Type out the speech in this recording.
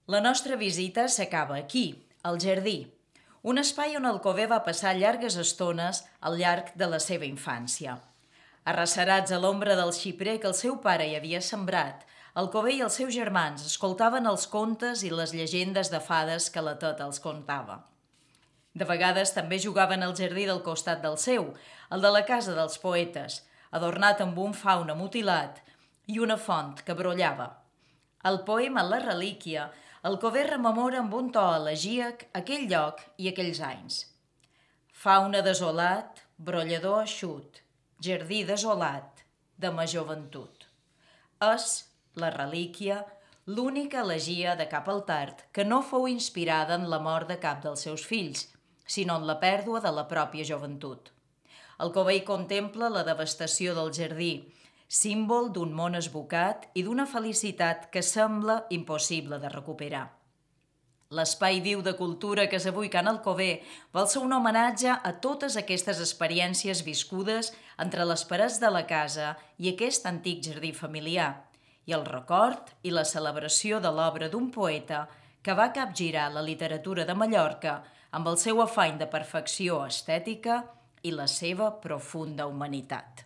La nostra visita s'acaba aquí, al jardí, un espai on Alcover va passar llargues estones al llarg de la seva infància. Arrecerats a l'ombra del xiprer que el seu pare hi havia sembrat, Alcover i els seus germans escoltaven els contes i les llegendes de fades que la teta els contava. De vegades també jugaven al jardí del costat del seu, el de la casa dels poetes, adornat amb un faune mutilat i una font que brollava. El poema La relíquia, Alcover rememora amb un to elegíac aquell lloc i aquells anys. Faune desolat, brollador eixut, jardí desolat, de ma joventut. És, La relíquia, l'única elegia de cap al tard que no fou inspirada en la mort de cap dels seus fills, sinó en la pèrdua de la pròpia joventut. Alcover contempla la devastació del jardí, símbol d'un món esbocat i d'una felicitat que sembla impossible de recuperar. L'espai viu de cultura que és avui Can Alcover vol ser un homenatge a totes aquestes experiències viscudes entre les parets de la casa i aquest antic jardí familiar, i el record i la celebració de l'obra d'un poeta que va capgirar la literatura de Mallorca amb el seu afany de perfecció estètica i la seva profunda humanitat.